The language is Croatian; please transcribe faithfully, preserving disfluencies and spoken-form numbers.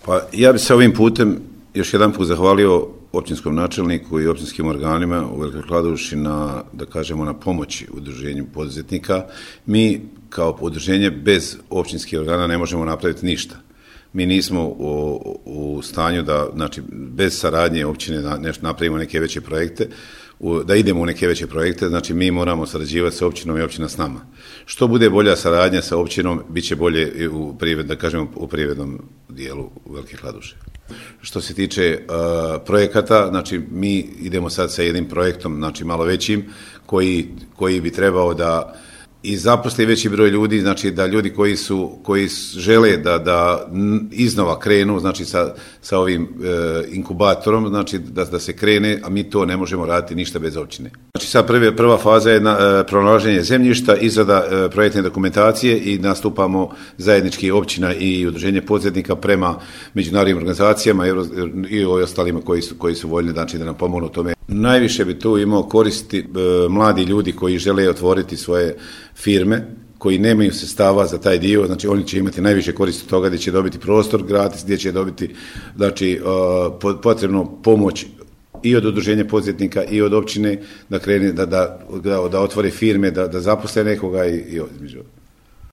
Pa ja bih se ovim putem još jedan put zahvalio općinskom načelniku i općinskim organima u Velikoj Kladuši na, da kažemo, na pomoći udruženju poduzetnika. Mi kao udruženje bez općinskih organa ne možemo napraviti ništa. Mi nismo u, u stanju da, znači, bez saradnje općine da nešto napravimo neke veće projekte, u, da idemo u neke veće projekte, znači mi moramo sarađivati sa općinom i općina s nama. Što bude bolja saradnja sa općinom, bit će bolje u privred, da kažemo, u privrednom dijelu Velike Kladuše. Što se tiče uh, projekata, znači mi idemo sad sa jednim projektom, znači malo većim, koji, koji bi trebao da i zaposli veći broj ljudi, znači da ljudi koji su koji žele da da iznova krenu, znači sa sa ovim e, inkubatorom, znači da da se krene, a mi to ne možemo raditi ništa bez općine. Znači sad prve, prva faza je na, e, pronalaženje zemljišta, izrada e, projektne dokumentacije i nastupamo zajednički općina i udruženje poduzetnika prema međunarodnim organizacijama Euro, i ostalima koji su koji su voljni, znači da nam pomognu u tome. Najviše bi tu imao koristi e, mladi ljudi koji žele otvoriti svoje firme, koji nemaju sredstava za taj dio, znači oni će imati najviše koristi od toga gdje će dobiti prostor gratis, gdje će dobiti, znači, uh, potrebnu pomoć i od udruženja poduzetnika i od općine da krene, da, da, da, da otvore firme, da, da zaposle nekoga i, i između.